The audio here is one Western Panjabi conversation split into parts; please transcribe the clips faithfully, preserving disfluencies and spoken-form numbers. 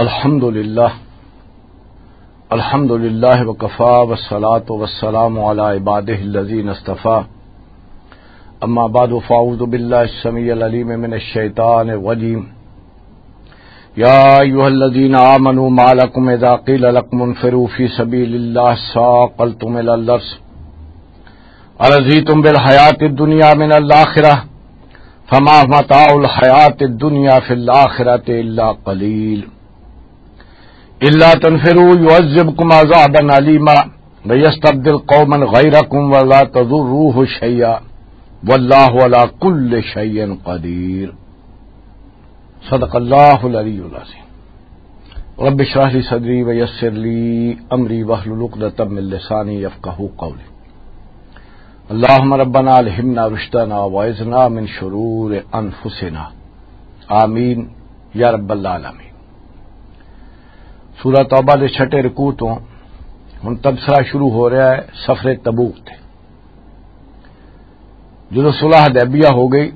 الحمد لله. الحمد لله وكفى والصلاة والسلام على عباده الذين اصطفى. أما بعد، فأعوذ بالله السميع العليم من الشيطان الرجيم. يا أيها الذين آمنوا ما لكم إذا قيل لكم انفروا في سبيل الله ثاقلتم إلى الأرض أرضيتم بالحياة الدنيا من الآخرة فما متاع الحياة الدنيا في الآخرة إلا قليل. إلا تنفروا يعذبكم عذابا أليما ويستبدل قوما غيركم ولا تضروه شيئا والله على كل شيء قدير. صدق الله العلي العظيم. رب اشرح لي صدري ويسر لي أمري واحلل عقدة من لساني يفقهوا قولي. اللهم ربنا ألهمنا رشدنا وأعذنا من شرور أنفسنا. آمين يا رب العالمين. سورہ توبہ دے چھٹے رکوع تو ہن تبصرہ شروع ہو رہا ہے سفر تبوک تے۔ جدوں صلح حدیبیہ ہو گئی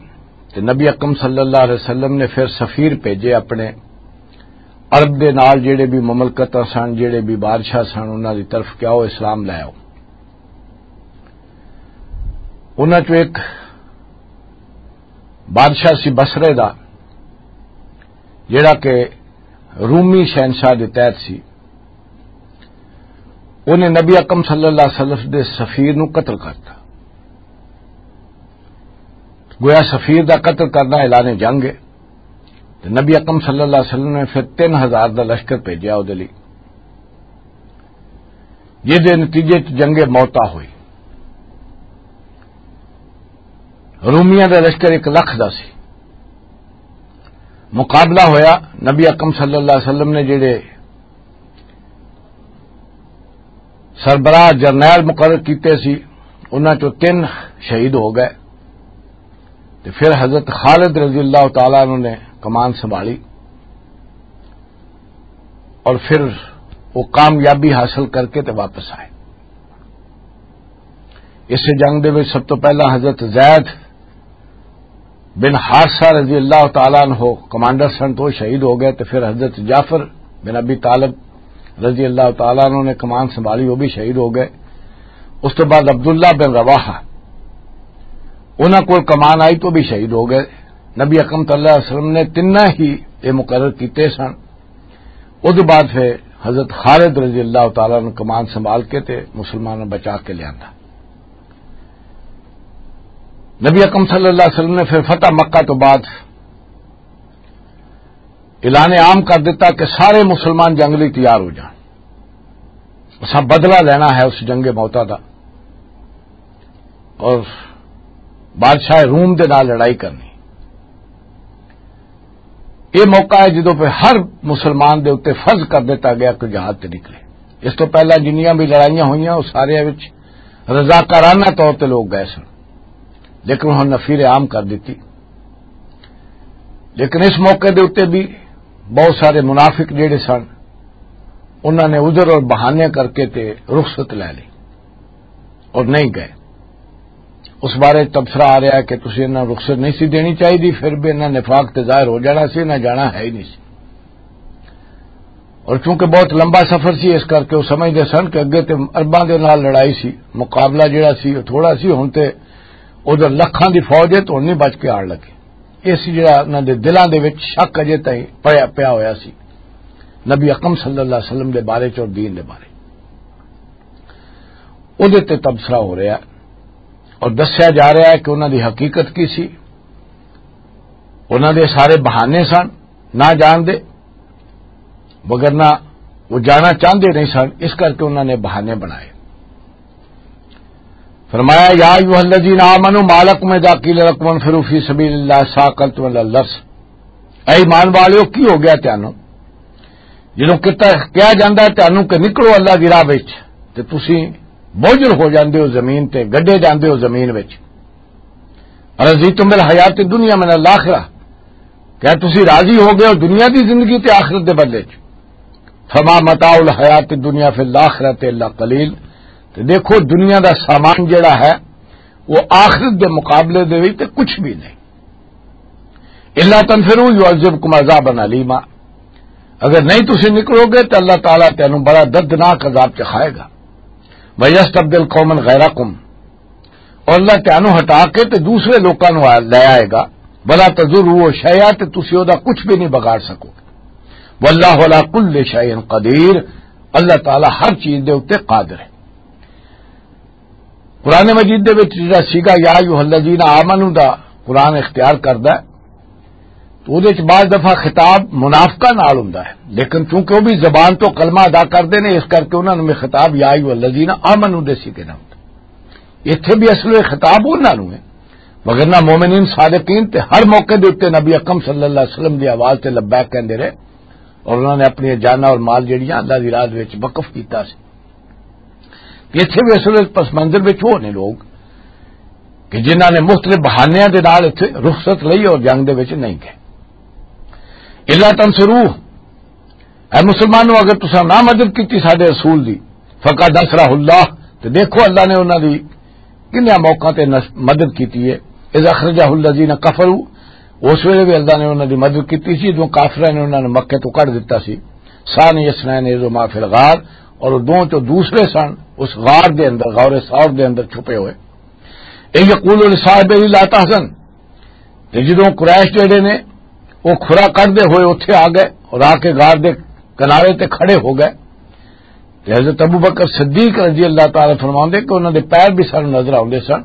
تے نبی اکرم صلی اللہ علیہ وسلم نے پھر سفیر بھیجے اپنے عرب دے نال، جڑے بھی مملکتاں سن، جڑے بھی بادشاہ سن، انہاں دی طرف کہ آؤ اسلام لے آؤ۔ انہاں چوں ایک بادشاہ سی بصرے دا، جڑا کہ رومی شہنشاہ دے تحت سی، انہیں نبی اکرم صلی اللہ علیہ وسلم دے سفیر نو قتل کرتا۔ گویا سفیر دا قتل کرنا اعلان جنگ ہے۔ تے نبی اکرم صلی اللہ علیہ وسلم نے پھر تین ہزار دا لشکر بھیجیا او دے لئی، جس دے نتیجے چ جنگ موتا ہوئی۔ رومیاں دا لشکر ایک لکھ دا سی۔ مقابلہ ہویا، نبی اکرم صلی اللہ علیہ وسلم نے جڑے سربراہ جرنیل مقرر کیتے سی، انہاں چوں تین شہید ہو گئے۔ تے پھر حضرت خالد رضی اللہ تعالیٰ عنہ نے کمان سنبھالی اور پھر وہ کامیابی حاصل کر کے تے واپس آئے۔ اس جنگ دے وچ سب تو پہلا حضرت زید بن حارثہ رضی اللہ تعالیٰ عنہ کمانڈر سن، تو شہید ہو گئے، تے پھر حضرت جعفر بن ابی طالب رضی اللہ تعالیٰ عنہ نے کمان سنبھالی، وہ بھی شہید ہو گئے۔ اس تو بعد عبداللہ بن رواحہ، انہاں کول کمان آئی تو بھی شہید ہو گئے۔ نبی اکرم صلی اللہ علیہ وسلم نے تینہ ہی یہ مقرر کیتے سن۔ اس بعد پھر حضرت خالد رضی اللہ تعالیٰ عنہ کمان سنبھال کے تے مسلمانوں بچا کے لیا۔ نبی اکرم صلی اللہ علیہ وسلم نے پھر فتح مکہ تو بعد اعلان عام کر دیتا کہ سارے مسلمان جنگ لئی تیار ہو جان، اساں بدلہ لینا ہے اس جنگ موتا دا اور بادشاہ روم دے نال لڑائی کرنی۔ یہ موقع ہے جدوں پہ ہر مسلمان دے اُتے فرض کر دیتا گیا کہ جہاد تے نکلے۔ اس تو پہلا جنیاں بھی لڑائیاں ہوئیاں، وہ سارے وچ رضاکارانہ طور تے لوگ گئے سن، لیکن ہن نفیر عام کر دیتی۔ لیکن اس موقع دے اُتے بھی بہت سارے منافق جڑے سن، انہاں نے عذر اور بہانے کر کے تے رخصت لے لی اور نہیں گئے۔ اس بارے تبصرہ آ رہا ہے کہ تسی انہاں رخصت نہیں سی دینی چاہیے، پھر بھی انہاں نفاق تے ظاہر ہو جانا سی، انہاں جانا ہے ہی نہیں سی۔ اور چونکہ بہت لمبا سفر سی، اس کر کے وہ سمجھدے سن کہ اگے تے عرباں دے نال لڑائی سی، مقابلہ جڑا سی وہ تھوڑا سی، ہن تے ادھر لکھاں دی فوج ہے تو ہن نہیں بچ کے آڑ لگے۔ اس جڑا انہاں دے دلاں دے وچ شک اجے تائیں پیا، پیا ہویا سی نبی اکرم صلی اللہ علیہ وسلم دے بارے چ اور دین دے بارے۔ اودے تے تبصرہ ہو رہا ہے اور دسیا جا رہا ہے کہ انہاں دی حقیقت کی سی، انہاں دے سارے بہانے سن نہ جان دے، مگر نہ وہ جانا چاہندے نہیں سن، اس کر کے انہاں نے بہانے بنائے۔ فرمایا، یا ایھا الذین آمنوا ما لکم اذا قیل لکم انفروا فی سبیل اللہ ثاقلتم الی الارض۔ اے ایمان والیو، کی ہو گیا تانوں؟ جدوں کتا، کہا جاندا ہے تانوں کہ نکلو اللہ دی راہ وچ، تے تسی بوجھل ہو جاندے ہو زمین تے، گڈے جاندے ہو زمین وچ۔ رضیتم بالحیات الدنیا من الاخرہ، کیا تسی راضی ہو گئے ہو دنیا دی زندگی تے آخرت دے بدلے چ؟ فما متاع الحیات الدنیا فی الاخرۃ الا قلیل۔ تے دیکھو، دنیا دا سامان جڑا ہے، وہ آخرت دے مقابلے دے وچ تے کچھ بھی نہیں۔ الا تنفروا یعذبکم عذابا الیما۔ اگر نہیں تسی نکلو گے تو اللہ تعالیٰ تینوں بڑا دردناک عذاب چکھائے گا۔ وَيَسْتَبْدِلْ قَوْمًا غَيْرَكُمْ، اور اللہ تینوں ہٹا کے تے دوسرے لوکاں نوں آ-، لے آئے گا۔ وَلَا تَضُرُّوهُ شَيْئًا، تے تسی او دا کچھ بھی نہیں بگاڑ سکو گے۔ وَاللَّهُ عَلَىٰ كُلِّ شَيْءٍ قَدِيرٌ، اللہ تعالیٰ ہر چیز دے اُتے قادر ہے۔ قرآن مجید دے وچ جڑا سیگا یا ایھا الذین آمنو دا قرآن اختیار کردا ہے، تو اودے وچ بعض دفعہ خطاب منافقاں نال ہوندا ہے، لیکن چونکہ وہ بھی زبان تو کلمہ ادا کردے نے، اس کر کے انہاں نوں خطاب یا ایھا الذین آمنو دے سیگے نال ہوندا۔ ایتھے بھی اصل وچ خطاب انہاں نوں ہے، وگرنہ مومنین صادقین تے ہر موقع دے اُتے نبی اکرم صلی اللہ علیہ وسلم دی آواز تے لبیک کہندے رہے، اور انہاں نے اپنی جاناں اور مال جڑیاں اللہ دی راہ دے وچ وقف کیتا سی۔ تے اتھے بھی اصل وچ پس منظر وچ وہ نے لوگ کہ جنہاں نے مختلف بہانیاں دے نال اتھے رخصت لئی اور جنگ دے وچ نہیں گئے۔ الا تنصرو، اے مسلمانوں، اگر تساں نہ مدد کیتی ساڈے رسول دی، فقد نصرہ اللہ، تے دیکھو اللہ نے انہاں دی کنیاں موقعاں تے نس-، مدد کیتی ہے۔ اذ اخرجہ الذین کفروا، اس ویلے بھی اللہ نے انہاں دی مدد کیتی سی جدوں کافراں نے انہاں نے مکے تو کڈ دتا سی۔ ثانی اثنین اذ ہما فی الغار، اور وہ دونوں چوں دوسرے سن اس غار دے اندر، غار ثور دے اندر چھپے ہوئے۔ اے یقول لصاحبہ لا تحزن، تے جدوں قریش جڑے نے، وہ کھرا کڈدے ہوئے اتھے آ گئے اور آ کے غار دے کنارے تے کھڑے ہو گئے۔ تے حضرت ابو بکر صدیق رضی اللہ تعالیٰ فرماندے کہ انہاں دے پیر بھی سانوں نظر آوندے سن،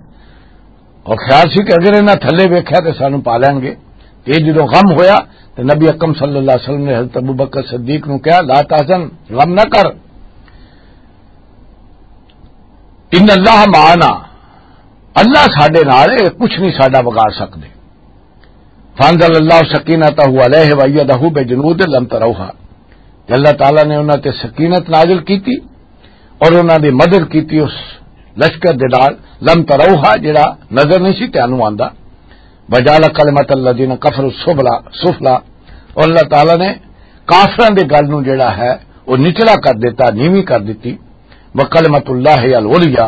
اور خیال سی کہ اگر انہاں تھلے ویکھیا تے سانوں پا لین گے۔ تے جدوں غم ہویا تے نبی اکرم صلی اللہ علیہ وسلم نے حضرت ابو بکر صدیق نوں کہا، لا تحزن، غم نہ کر، ان اللہ معنا، اللہ ساڈے نال ہے، کچھ نہیں ساڈا بگاڑ سکدے۔ فانزل اللہ سکینتہ علیہ وایدہ بجنود لم تروہا، کہ اللہ تعالیٰ نے انہاں تے سکینت نازل کیتی اور انہاں دی مدد کیتی اس لشکر دے نال، لم تروہا، جڑا نظر نہیں سی تینوں آندا۔ وجعل کلمۃ الذین کفروا السفلی، سفلی، اور اللہ تعالیٰ نے کافراں دے گل نوں جڑا ہے وہ نچلا کر دیتا، نیوی کر دیتی۔ وکلمۃ اللہ العلیا،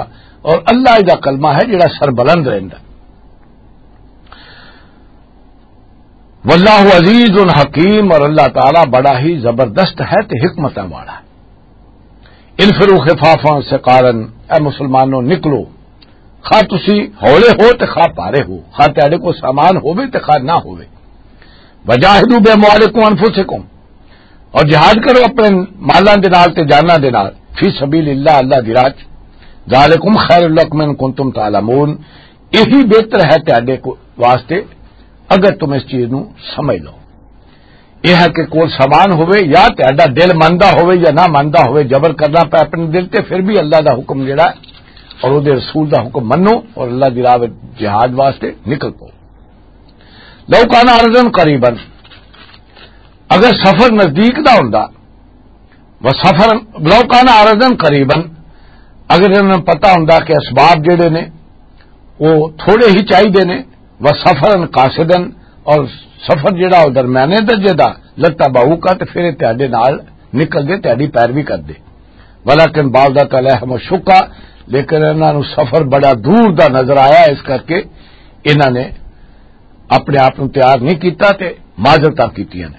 اور اللہ دا کلمہ ہے جڑا سربلند رہندا۔ واللہ عزیز حکیم، اور اللہ تعالیٰ بڑا ہی زبردست ہے تے حکمتاں والا۔ انفروا خفافا ثقالا، اے مسلمانوں نکلو، خواہ تسی ہولے ہو تے خواہ پارے ہو، خواہ تہاڈے کو سامان ہووے تے خواہ نہ ہووے۔ وجاہدوا باموالکم وانفسکم، اور جہاد کرو اپنے مالاں دے نال تے جاناں دے نال، فی سبیل اللہ، اللہ دی راہ چ۔ ذالکم خیر لکم ان کنتم تعلمون، یہی بہتر ہے تہاڈے کو-، واسطے اگر تم اس چیز نو سمجھ لو۔ یہ ہے کہ کول سامان ہوئے یا تہاڈا دل مندا ہوئے یا نہ مندا ہوئے، جبر کرنا پے اپنے دل تے، پھر بھی اللہ دا حکم جڑا ہے اور او دے رسول دا حکم منو اور اللہ دی راہ وچ جہاد واسطے نکل پو۔ لو کان عرضا قریبا، اگر سفر نزدیک دا ہوندا، و سفر، لو کان عرضا قریبا، اگر انہاں نوں پتہ ہوندا کہ اسباب جڑے نے وہ تھوڑے ہی چاہیدے نے، و سفرا قاصدا، اور سفر جڑا وہ درمیانے درجے دا، لتبعوک، تے پھر یہ تہاڈے نال نکل دے، تہاڈی پیروی کر دے۔ ولکن بعدت علیہم الشقہ، لیکن انہاں نوں سفر بڑا دور دا نظر آیا، اس کر کے انہاں نے اپنے آپ نوں تیار نہیں کیتا تے معذرتاں کیتیاں نے۔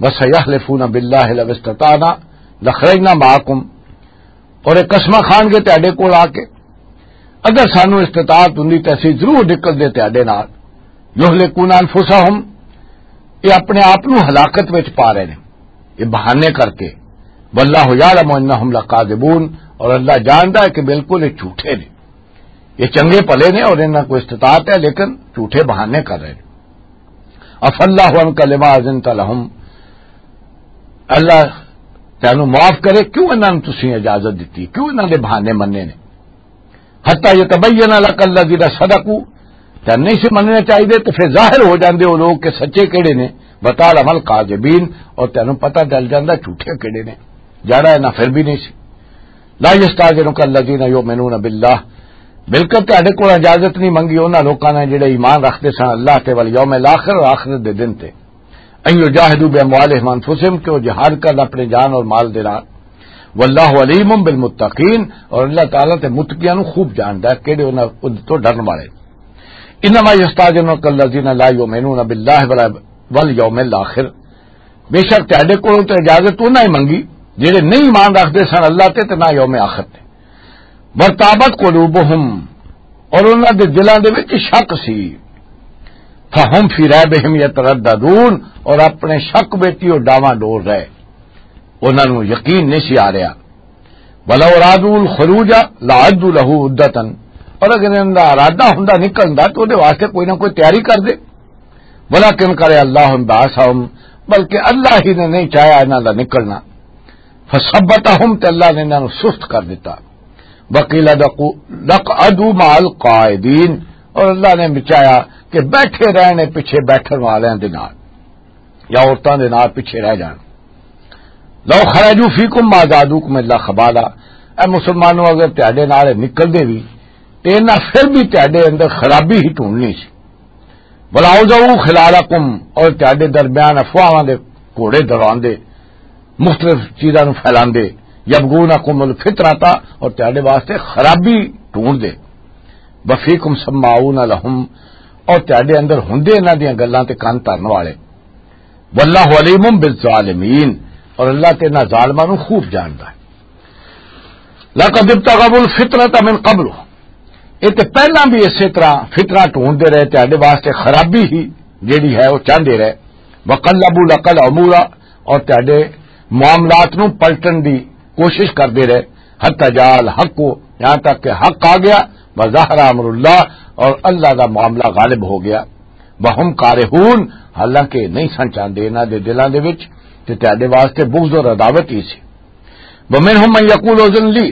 وسیحلفون باللہ لو استطعنا لخرجنا معکم، اور یہ قسماں کھان گے تہاڈے کول آ کے، اگر سانو استطاعت ہوندی تے اسی ضرور نکلدے تہاڈے نال۔ یہلکون انفسہم، یہ اپنے آپ نو ہلاکت وچ پا رہے نے، یہ بہانے کر کے۔ واللہ یعلم انہم لکاذبون، اور اللہ جاندا ہے کہ بالکل یہ جھوٹے نے، یہ چنگے بھلے نے اور انہاں کو استطاعت ہے، لیکن جھوٹے بہانے کر رہے نے۔ عفا اللہ عنک لما اذنت لہم، اللہ تینوں معاف کرے، کیوں انہاں نوں تسی اجازت دتی، کیوں انہاں دے بہانے مننے نے؟ حتی یتبین لک الذین صدقوا، تے نہیں سی مننے چاہیے، تو پھر ظاہر ہو جاندے وہ لوگ کہ سچے کہڑے نے۔ وتعلم الکاذبین، اور تینوں پتہ چل جاندا جھوٹے کہڑے نے، جڑا انہاں پھر بھی نہیں سی۔ لا یستاذنک الذین یؤمنون باللہ، بالکل تہاڈے کول اجازت نہیں منگی انہاں لوکاں نے جڑے ایمان رکھدے سن اللہ تے والیوم الاخر، اور آخرت دے دن تے۔ ان یجاہدوا باموالہم وانفسہم، کہ وہ جہاد کرن اپنے جان اور مال دے نال۔ واللہ علیم بالمتقین، اور اللہ تعالیٰ تے متقیاں نوں خوب جاندا ہے، کہڑے انہاں، ان تو ڈرن والے۔ انما یستاذنک الذین لا یؤمنون باللہ ولا، والیوم الاخر، بے شک تہاڈے کولوں تے اجازت انہاں ہی منگی جڑے نہیں ایمان رکھدے سن اللہ تے تے نہ یوم آخر تے۔ وارتابت قلوبہم، اور انہاں دے دلاں دے وچ شک سی۔ فہم فی ریبہم یترددون، اور اپنے شک وچ ہی او ڈاواں ڈول رہے، انہاں نوں یقین نہیں سی آ رہا۔ ولو ارادوا الخروج لعدوا له عدة، اور اگر انہاں دا ارادہ ہوندا نکلن دا تو دے واسطے کوئی نہ کوئی تیاری کر دے۔ ولکن کرہ اللہ انبعاثہم، بلکہ اللہ ہی نے نہیں چاہیا انہاں دا نکلنا۔ فثبتہم، تے اللہ نے انہاں نوں سست کر دتا۔ وقیل اقعدوا مع القاعدین، اور اللہ نے بچایا کہ بیٹھے رہنے پیچھے بیٹھن والوں دے نال، یا عورتاں دے نال پیچھے رہ جان۔ لو خرجوا فیکم ما زادوکم الا خبالا، اے مسلمانوں، اگر تہاڈے نال نکلدے بھی تے انہاں پھر بھی تہاڈے اندر خرابی ہی ڈھونڈنی سی۔ ولاوضعوا خلالکم، اور تہاڈے درمیان افواہاں دے گھوڑے دوڑاندے، مختلف چیزاں نوں پھیلاندے، یبغونکم الفتنۃ، اور تہاڈے واسطے خرابی ڈھونڈدے۔ وفیکم سماعون لہم، اور تہاڈے اندر ہوندے انہاں دیاں گلاں تے کان دھرن والے۔ واللہ علیم بالظالمین، اور اللہ تے انہاں ظالماں نوں خوب جاندا ہے۔ لقد ابتغوا الفتنة من قبل، یہ تے پہلاں بھی اسی طرح فتنہ ڈھونڈدے رہے، تہاڈے واسطے خرابی ہی جیڑی ہے وہ چاہندے رہے۔ وقلبوا لك الامور، اور تہاڈے معاملات نوں پلٹن دی کوشش کردے رہے۔ حتی جاء الحق، یہاں تک کہ حق آ گیا۔ وظہر امر اللہ، اور اللہ دا معاملہ غالب ہو گیا۔ وہم کارہون، حالانکہ نہیں سن چاہندے انہاں دے دلاں دے وچ، تے تہاڈے واسطے بغض اور عداوت ہی سی۔ ومنهم من یقول اذن لی،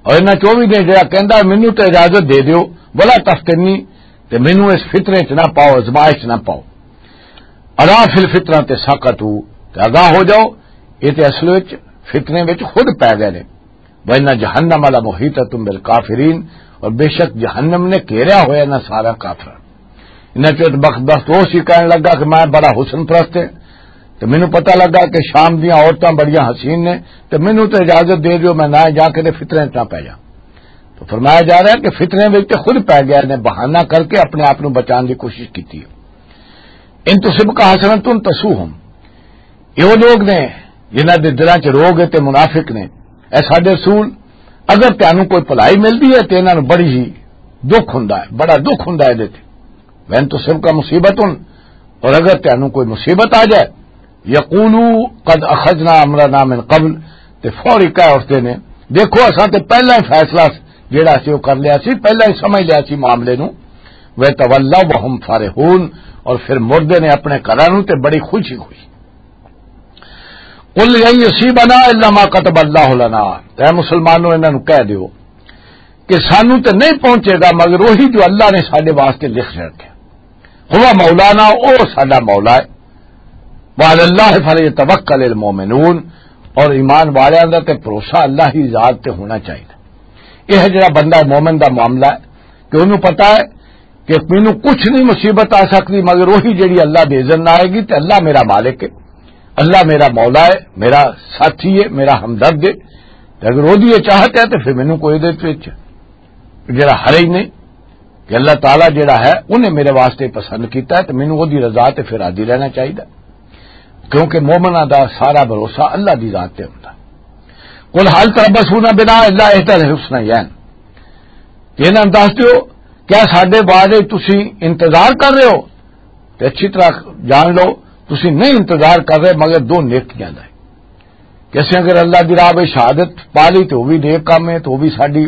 اور انہاں چوں بھی نے جڑا کہندا مینوں تے اجازت دے دیو، ولا تفتنی، تے مینوں اس فتنے چ نہ پاؤ، ازمائش چ نہ پاؤ۔ الا فی الفتنۃ سقطوا، تے آگاہ ہو جاؤ، یہ تے اصل وچ فتنے وچ خود پے گئے نے۔ وان جہنم لمحیطۃ بالکافرین، اور بے شک جہنم نے گھیریا ہویا نہ سارا کافراں۔ انہاں چوں ایک بخت بخت وہ سی کہن لگا کہ میں بڑا حسن پرست ہاں، تے مینوں پتہ لگا کہ شام دیاں عورتاں بڑیاں حسین نے، تے مینوں تے اجازت دے دیو میں نہ جا کے تے فتنے چ نہ پے جاں۔ تو فرمایا جا رہا ہے کہ فتنے وچ تے خود پے گیا نے، بہانہ کر کے اپنے آپ نوں بچان دی کوشش کیتی ہے۔ ان تصبک حسنۃ تسؤہم، یہ وہ لوگ نے جنہاں دے دلاں چ روگ ہے تے منافق نے۔ اے ساڈے رسول، اگر تانوں کوئی بھلائی ملدی ہے تے انہاں نوں بڑی ہی دکھ ہوندا ہے، بڑا دکھ ہوندا ہے دے تے۔ وین تو سب کا مصیبت ہن، اور اگر تانوں کوئی مصیبت آ جائے، یقولو قد اخذنا امرنا من قبل، تے فوری کہہ اٹھتے نے، دیکھو اساں تے پہلا ہی فیصلہ جیڑا سی وہ کر لیا سی، پہلا ہی سمجھ لیا سی معاملے نوں۔ وَيَتَوَلَّوْا وَهُمْ فَرِحُونَ، اور پھر مردے نے اپنے گھراں نوں تے بڑی خوشی خوشی۔ قل لن یصیبنا الا ما کتب اللہ لنا، اے مسلمانوں، انہاں نوں کہہ دیو کہ سانوں تے نہیں پہنچے گا مگر وہی جو اللہ نے ساڈے واسطے لکھ رکھے۔ ہوا مولانا، او ساڈا مولا ہے۔ وعلی اللہ فلیتوکل المؤمنون، اور ایمان والیاں دا تے بھروسہ اللہ ہی ذات تے ہونا چاہیے۔ یہ ہے جڑا بندہ مومن دا معاملہ ہے کہ انہوں پتا ہے کہ مینوں کچھ نہیں مصیبت آ سکتی مگر وہی جڑی اللہ دے اذن نال آئے گی، تے اللہ میرا مالک ہے، اللہ میرا مولا ہے، میرا ساتھی ہے، میرا ہمدرد ہے۔ تے اگر وہ دی یہ چاہت ہے تے پھر مینوں کوئی دے وچ جڑا حرج نہیں کہ اللہ تعالیٰ جڑا ہے انہیں میرے واسطے پسند کیتا ہے، تے مینوں وہ دی رضا تے پھر راضی رہنا چاہیے، کیونکہ مومناں دا سارا بھروسہ اللہ دی ذات تے ہوندا۔ قل هل تربصون بنا الا احدى الحسنيين، تے انہاں نوں دس دیو، کیا ساڈے بارے تسی انتظار کر رہے ہو؟ تے اچھی طرح جان لو، تسی نہیں انتظار کر رہے مگر دو نیکیاں دا۔ کہ اسیں اگر اللہ دی راہ وچ شہادت پا لی تے وہ بھی نیک کام ہے، تے وہ بھی ساڈی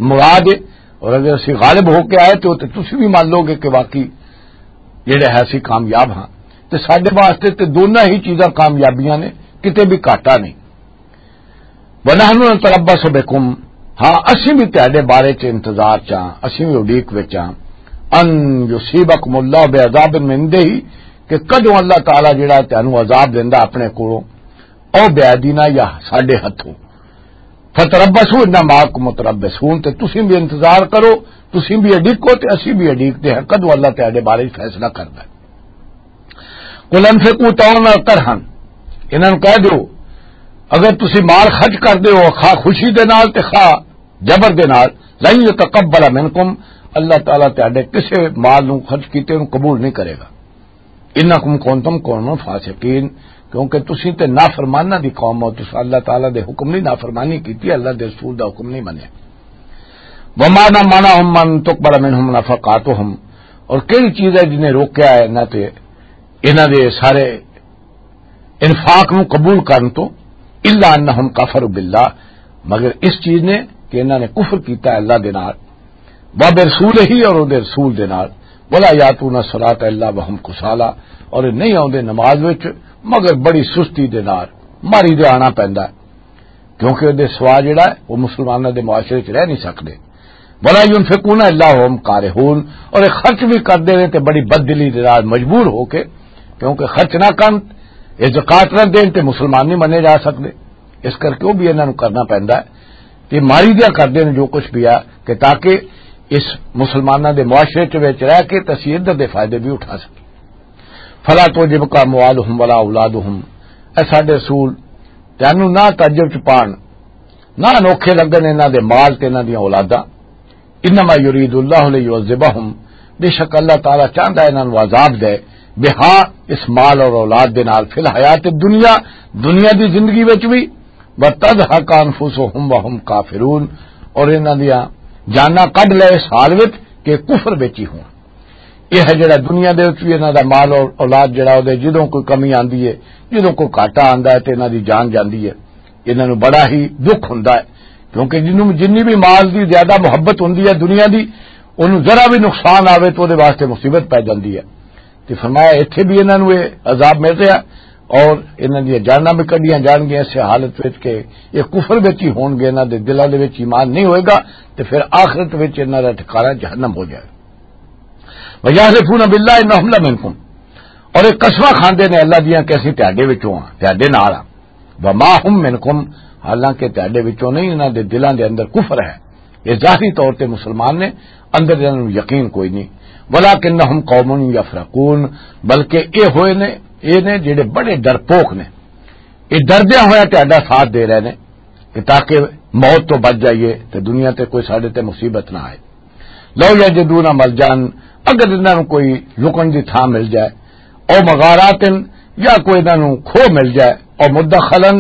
مراد ہے، اور اگر اسی غالب ہو کے آئے تے وہ تے تسی بھی مان لو گے کہ واقعی جڑے ہے اسی کامیاب ہاں۔ تے ساڈے واسطے تے دونوں ہی چیزاں کامیابیاں نے، کتے بھی گھاٹا نہیں۔ وَنَحْنُ نَتَرَبَّصُ بِكُمْ، ہاں، اسی بھی تہاڈے بارے چ انتظار چ ہاں، اسی بھی اڈیک وچ ہاں۔ أَنْ يُصِيبَكُمُ اللَّهُ بِعَذَابٍ مِنْ عِنْدِهِ، کہ کدوں اللہ تعالیٰ جڑا ہے تانوں عذاب دیندا اپنے کولوں، او بِأَيْدِينَا، یا ساڈے ہتھوں۔ فَتَرَبَّصُوا إِنَّا مَعَكُمْ مُتَرَبِّصُونَ، تے تسی بھی انتظار کرو، تسی بھی اڈیکو تے اسی بھی اڈیکدے ہاں کدوں اللہ تہاڈے بارے فیصلہ کردا ہے۔ قل انفقوا طوعا او کرہا، انہاں نوں کہہ دیو، اگر تسی مال خرچ کر دیو خواہ خوشی دے نال تے خواہ جبر دے نال، لن يتقبل منکم، اللہ تعالیٰ تہاڈے کسے مال نوں خرچ کیتے نوں قبول نہیں کرے گا۔ انکم کنتم قوما فاسقین، کیونکہ تسی تے نافرماناں دی قوم ہو، تساں اللہ تعالیٰ دے حکم نہیں نافرمانی کیتی، اللہ دے رسول دا حکم نہیں منیا۔ وما منعهم ان تقبل منهم نفقاتهم، اور کہڑی چیز ہے جنہیں روکیا ہے انہاں تے، انہاں دے سارے انفاق نو قبول کرن تو؟ الا انہم کفروا باللہ، مگر اس چیز نے کہ انہاں نے کفر کیتا ہے اللہ دے نال، وبرسولہ، اور اودے رسول دے نال، ولا یاتون الصلاۃ الا وهم کسالی، اور نہیں آوندے نماز وچ مگر بڑی سستی دے نال، ماری دے آنا پیندا ہے، کیونکہ اودے سوا جڑا ہے وہ مسلماناں دے معاشرے وچ رہ نہیں سکدے۔ ولا ينفقون الا وهم کارهون، اور یہ خرچ بھی کردے نے تے بڑی بددلی دے نال مجبور ہو کے، کیونکہ خرچ نہ کرن، یہ زکات نہ دین تے مسلمان نہیں منے جا سکدے۔ اس کرکے وہ بھی انہاں نوں کرنا پیندا ہے۔ تے ماری دیا کردے نے جو کچھ بھی ہے، کہ تاکہ اس مسلماناں دے معاشرے چ وچ رہ کے تے اسی ادھر دے فائدے بھی اٹھا سکیں۔ فلا تعجبک اموالہم ولا اولادہم، اے ساڈے رسول، تینوں نہ تعجب چ پان، نہ انوکھے لگن انہاں دے مال تے انہاں دیاں اولاداں۔ انما یرید اللہ لیعذبہم، بے شک اللہ تعالیٰ چاہندا ہے انہاں نوں عذاب دے، بہا، اس مال اور اولاد دے نال، فی الحیات الدنیا، دنیا دی زندگی وچ بھی، وتزہق انفسہم وہم کافرون، اور انہاں دیاں جاناں کڈ لے اس حال وچ کہ کفر وچ ہی ہون۔ یہ ہے جڑا دنیا دے وچ بھی انہاں دا مال اور اولاد جڑا، او دے جدوں کوئی کمی آندی ہے، جدوں کوئی گھاٹا آندا ہے تے انہاں دی جان جاندی ہے، انہاں نوں بڑا ہی دکھ ہوندا ہے، کیونکہ جنوں، جنی بھی مال دی زیادہ محبت ہوندی ہے دنیا دی، اونوں ذرا بھی نقصان آوے تو اودے واسطے مصیبت پے جاندی ہے۔ تے فرمایا، ایتھے بھی انہاں نوں یہ عذاب مل رہا اور انہاں دیاں جاناں بھی کڈیاں جان گیاں اس حالت وچ کہ یہ کفر وچ ہی ہون گے، انہاں دے دلاں دے وچ ایمان نہیں ہوئے گا، تے پھر آخرت وچ انہاں دا ٹھکانہ جہنم ہو جائے۔ وَيَحْلِفُونَ بِاللَّهِ إِنَّهُمْ لَمِنْكُمْ، اور یہ قسماں کھاندے نے اللہ دیاں کہ اسی تہاڈے وچوں ہاں، تہاڈے نال ہاں۔ وَمَا هُمْ مِنْكُمْ، حالانکہ تہاڈے وچوں نہیں، انہاں دے دلاں دے اندر کفر ہے۔ یہ ظاہری طور تے مسلمان نے، اندر انہاں نوں یقین کوئی نہیں۔ وَلَكِنَّهُمْ قَوْمٌ يَفْرَقُونَ، بلکہ یہ ہوئے نے، یہ نے جڑے بڑے ڈرپوک نے، یہ ڈردیاں ہویا تہاڈا ساتھ دے رہے نے کہ تاکہ موت تو بچ جائیے تے دنیا تے کوئی ساڈے تے مصیبت نہ آئے۔ لو یجدون ملجان، اگر انہاں نوں کوئی لکن دی تھاں مل جائے، او مغاراتن، یا کوئی انہاں نوں کھو مل جائے، او مدخلن،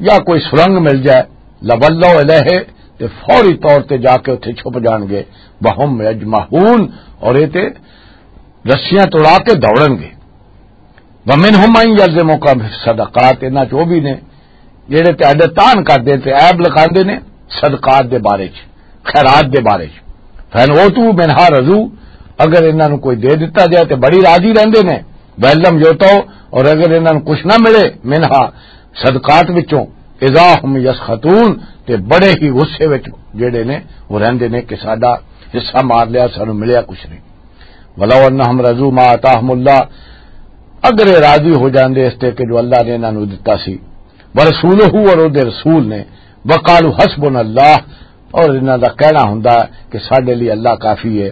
یا کوئی سرنگ مل جائے، لولوا الیہ، تے فوری طور تے جا کے اتھے چھپ جان گے، وہم یجمحون، اور اے تے رسیاں توڑا کے دوڑن گے۔ وَمِنْهُمْ مَنْ يَلْزَمُكَ فِي الصَّدَقَاتِ، انہاں چ او بھی نے جڑے تہاڈے تان کردے تے عیب لگاندے نے صدقات دے بارے چ، خیرات دے بارے چ۔ فَإِنْ أُوتُوا مِنْهَا رَضُوا، اگر انہاں نوں کوئی دے دتا جائے تے بڑی راضی رہندے نے۔ وَإِنْ لَمْ يُؤْتَوْا، اور اگر انہاں نوں کچھ نہ ملے، مِنْهَا، صدقات وچوں، إِذَا هُمْ يَسْخَطُونَ، تے بڑے ہی غصے وچ جڑے نے وہ رہندے نے کہ ساڈا حصہ مار لیا، سانوں ملیا کچھ نہیں۔ وَلَوْ أَنَّهُمْ رَضُوا مَا آتَاهُمُ اللَّهُ، اگر یہ راضی ہو جاندے اس تے کہ جو اللہ نے انہاں نوں دتا سی، وَرَسُولُهُ، اور او دے رسول نے، وَقَالُوا حَسْبُنَا اللَّهُ، اور انہاں دا کہنا ہوندا کہ ساڈے لئی اللہ کافی ہے،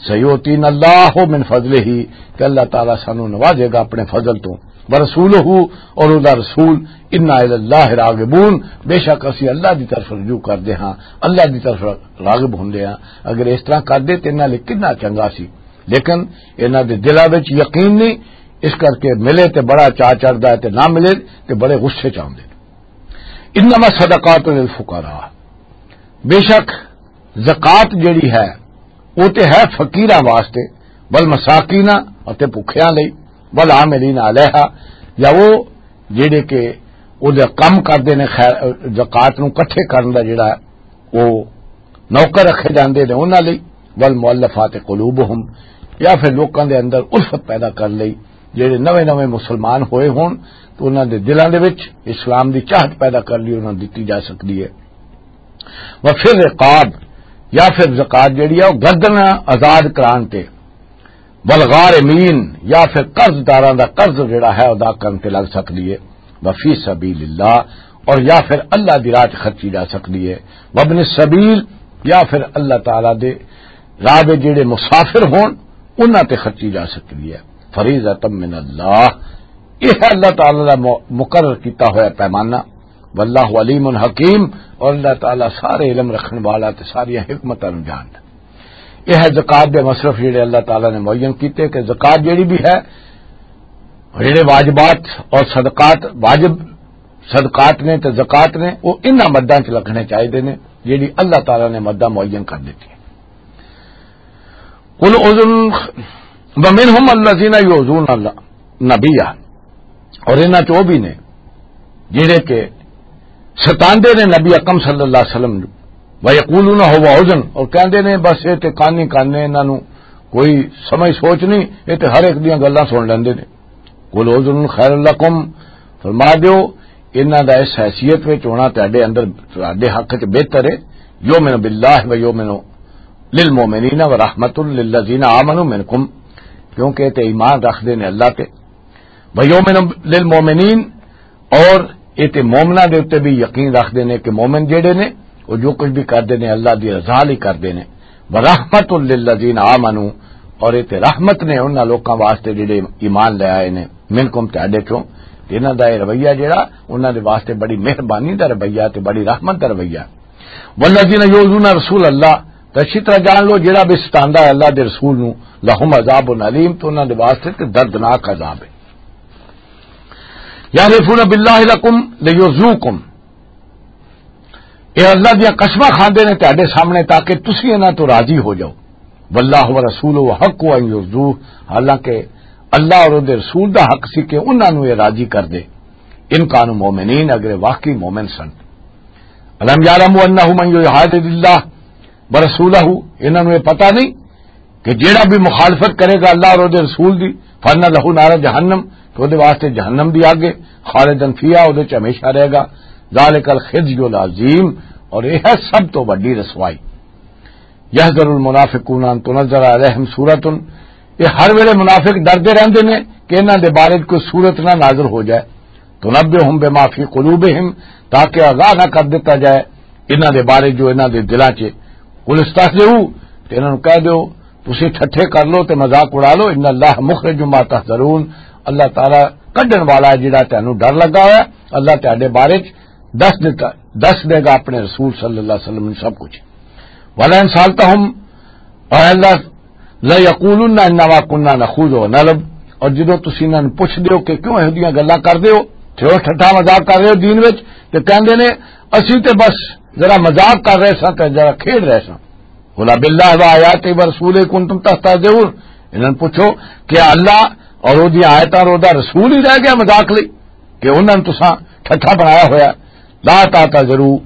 سَيُؤْتِينَا اللَّهُ مِنْ فَضْلِهِ، کہ اللہ تعالیٰ سانوں نوازے گا اپنے فضل تو، وَرَسُولُهُ، اور او دا رسول، إِنَّا إِلَى اللَّهِ رَاغِبُونَ، بے شک اسی اللہ دی طرف رجوع کردے ہاں، اللہ دی طرف راغب ہوندے ہاں۔ اگر اس طرح کردے تے انہاں لئی کتنا چنگا سی، لیکن انہاں دے دلاں وچ یقین نہیں، اس کرکے ملے تے بڑا چا چڑھدا ہے تے نہ ملے تے بڑے غصے چ آوندے۔ انما الصدقات للفقراء، بے شک زکوٰۃ جڑی ہے وہ تے ہے فقیراں واسطے، والمساکین، اتے بھکھیاں لئی، والعاملین علیہا، یا وہ جڑے کہ او دے کم کردے نے خیر، زکوٰۃ نوں اکٹھے کرن دا جڑا ہے، وہ نوکر رکھے جاندے نے انہاں لئی، والمؤلفات قلوبہم، یا پھر لوکاں دے اندر الفت پیدا کر لئی، جڑے نویں نویں مسلمان ہوئے ہون تو انہاں دے دلاں دے وچ اسلام دی چاہت پیدا کر لئی، انہاں نوں دتی جا سکدی ہے۔ وفی الرقاب، یا پھر زکوٰۃ جڑی ہے وہ گردن آزاد کران تے، والغارمین، یا پھر قرض داراں دا قرض جڑا ہے ادا کرن تے لگ سکدی ہے۔ وفی سبیل اللہ، اور یا پھر اللہ دی راہ 'چ خرچی جا سکدی ہے۔ وابن السبیل، یا پھر اللہ تعالیٰ دے راہ دے جڑے مسافر ہون انہاں تے خرچی جا سکدی ہے۔ فریضۃ من اللہ، یہ ہے اللہ تعالیٰ دا م-، مقرر کیتا ہویا پیمانہ۔ واللہ علیم حکیم، اور اللہ تعالیٰ سارے علم رکھن والا تے ساری حکمتاں نوں جاندا۔ یہ ہے زکوٰۃ دے مصرف جڑے اللہ تعالیٰ نے معین کیتے کہ زکوٰۃ جڑی بھی ہے اور جڑے واجبات اور صدقات، واجب صدقات نے تے زکوٰۃ نے، وہ انہاں مداں چ رکھنے چاہیے نے، جڑی اللہ تعالیٰ نے مداں معین کر دتی۔ قل اذن ومنهم الذين يؤذون النبي، اور انہاں چ وہ بھی نے جڑے کہ ستاندے نے نبی اکرم صلی اللہ علیہ وسلم نوں۔ وَيَقُولُونَ هُوَ أُذُنٌ، اور کہندے نے بس یہ تے کان ہی کان نے، انہاں نوں کوئی سمجھ سوچ نہیں، یہ تے ہر ایک دیاں گلاں سن لیندے نے۔ قُلْ أُذُنٌ خَيْرٌ لَكُمْ، فرما دیو، انہاں دا اس حیثیت وچ ہونا تہاڈے اندر، تہاڈے حق وچ بہتر ہے۔ یؤمن باللہ و یؤمن للمؤمنین و رحمت للذین آمنوا منکم، کیونکہ یہ تے ایمان رکھدے نے اللہ تے۔ وَيُؤْمِنُ لِلْمُؤْمِنِينَ، اور یہ تے مومناں دے اُتے بھی یقین رکھدے نے کہ مومن جڑے نے، وہ جو کچھ بھی کردے نے، اللہ دی رضا لئی کردے نے۔ وَرَحْمَةٌ لِلَّذِينَ آمَنُوا، اور یہ تے رحمت نے انہاں لوکاں واسطے جڑے ایمان لے آئے نے، منکم، تہاڈے چوں۔ تے انہاں دا یہ رویہ جڑا، انہاں دے واسطے بڑی مہربانی دا رویہ تے بڑی رحمت دا رویہ۔ والذین یؤذون رسول اللہ، تے اچھی طرح جان لو، جڑا بھی ستاندا ہے اللہ دے رسول نو، لہم عذاب علیم، تو انہاں دے واسطے تے دردناک عذاب ہے۔ یحلفون باللہ لکم لیرضوکم، یہ اللہ دیاں قسماں کھاندے نے تہاڈے سامنے تاکہ تسی انہاں تو راضی ہو جاؤ۔ واللہ ورسولہ حق ان یرضوہ، حالانکہ اللہ اور دے رسول دا حق سی کہ انہاں نو یہ راضی کر دے، ان کانوا مومنین، اگر یہ واقعی مومن سن۔ الم یعلموا انہ من یحادد اللہ ورسولہ، انہاں نوں یہ پتہ نہیں کہ جیڑا بھی مخالفت کرے گا اللہ اور دے رسول دی، فان لہ نار جہنم، تو دے واسطے جہنم دی آگ ہے، خالدن فیہا، او دے چ ہمیشہ رہے گا۔ ذالک الخزی العظیم، اور یہ ہے سب تو بڑی رسوائی۔ یحذر المنافقون ان تنزل علیہم سورۃ، یہ ہر ویلے منافق ڈردے رہندے نے کہ انہاں دے بارے کوئی سورت نہ نازل ہو جائے۔ تنبئہم بما فی قلوبہم، تاکہ آگاہ نہ کر دتا جائے انہاں دے بارے جو انہاں دے دلاں چ۔ قل استہزئوا، تے انہاں نوں کہہ دیو، تسی ٹھٹھے کر لو تے مذاق اڑا لو، ان اللہ مخرج ما تحذرون، اللہ تعالیٰ کڈن والا ہے جڑا تانوں ڈر لگا ہوا ہے، اللہ تہاڈے بارے چ دس دتا، دس دے گا اپنے رسول صلی اللہ علیہ وسلم نوں سب کچھ۔ ولئن سألتہم، اور اللہ، لیقولن انما کنا نخوض ونلعب، اور جدوں تسی انہاں نوں پوچھ دیو کہ کیوں ایہو جیاں گلاں کر دیو، تے او ٹھٹھا مذاق کر رہے ہو دین وچ، تے کہندے نے، اسی تے بس ذرا مذاق کر رہے ساں تے ذرا کھیڈ رہے ساں۔ قل باللہ و آیاتہ و رسولہ کنتم تستہزئون، انہاں نوں پوچھو کہ اللہ اور او دی آیتاں اور او دا رسول ہی رہ گیا مذاق لئی کہ انہاں نوں تساں ٹھٹھا بنایا ہویا؟ لا تعتذروا،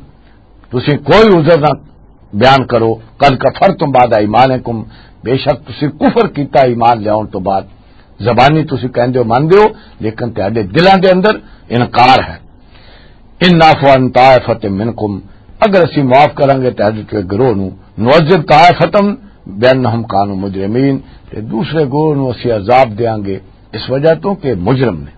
تسی کوئی عذر نہ بیان کرو۔ قد کفرتم بعد ایمانکم، بے شک تسی کفر کیتا ایمان لیاون تو بعد۔ زبانی تسی کہندے ہو، مندے ہو، لیکن تہاڈے دلاں دے اندر انکار ہے۔ ان نعفو عن طائفۃ منکم، اگر اسی معاف کریں گے تہاڈے چوں ایک گروہ نو، نعذب طائفتم بانہم کانوا مجرمین، تے دوسرے گروہ نو اسی عذاب دیاں گے اس وجہ تو کہ مجرم نے۔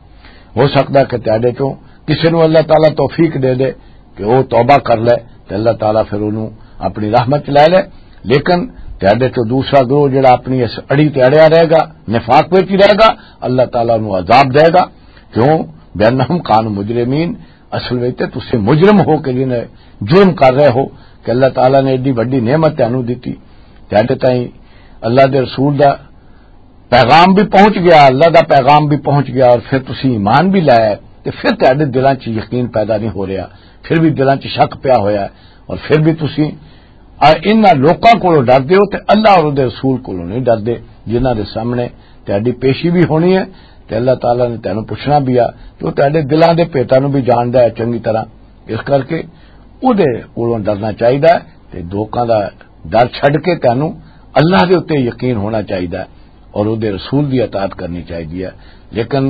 ہو سکتا ہے کہ تہاڈے چوں کسے نو اللہ تعالیٰ توفیق دے دے کہ وہ توبہ کر لے، تے اللہ تعالیٰ پھر انہوں اپنی رحمت چ لے لے۔ لیکن تہاڈے چوں دوسرا گروہ جڑا اپنی اس اڑی تے اڑیا رہے گا، نفاق وچ ہی رہے گا، اللہ تعالیٰ انہوں عذاب دے گا۔ کیوں؟ بانہم کانوا مجرمین، اصل وچ تے تسی مجرم ہو کے جنہیں جرم کر رہے ہو کہ اللہ تعالیٰ نے ایڈی وڈی نعمت تانوں دتی، تہاڈے تائیں اللہ دے رسول دا پیغام بھی پہنچ گیا، اللہ دا پیغام بھی پہنچ گیا، اور پھر تسی ایمان بھی لایا، تے پھر تہاڈے دلاں چ یقین پیدا نہیں ہو رہا، پھر بھی دلاں چ شک پیا ہویا ہے، اور پھر بھی تسی آ انہاں لوکاں کولوں ڈردے ہو تے اللہ اور دے رسول کولوں نہیں ڈردے، جنہاں دے سامنے تہاڈی پیشی بھی ہونی ہے تے اللہ تعالیٰ نے تینوں پوچھنا بھی آ، تے وہ تہاڈے دلاں دے پیتاں نوں بھی جاندا ہے چنگی طرح۔ اس کر کے او دے کولوں ڈرنا چاہیدا ہے تے لوکاں دا ڈر چھڈ کے تینوں اللہ دے اُتے یقین ہونا چاہیدا ہے اور او دے رسول دی اطاعت کرنی چاہیدی ہے۔ لیکن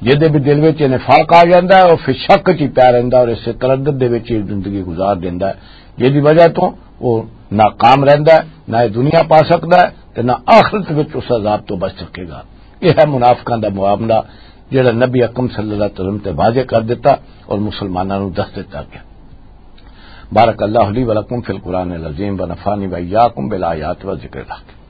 جدے بھی دل وچ نفاق آ جاندا ہے، او پھر شک چ ہی پیا رہندا اور اس تردد دے وچ ہی زندگی گزار دیندا ہے، جس دی وجہ تو او ناکام رہندا ہے، نہ یہ دنیا پا سکدا ہے تے نہ آخرت وچ اس عذاب تو بچ سکے گا۔ یہ ہے منافقاں دا معاملہ، جڑا نبی اکرم صلی اللہ علیہ وسلم تے واضح کر دیتا اور مسلماناں نوں دس دیتا گیا۔ بارک اللہ لی ولکم فی القرآن العظیم ونفعنی وإیاکم بالآیات و ذکر الحکیم۔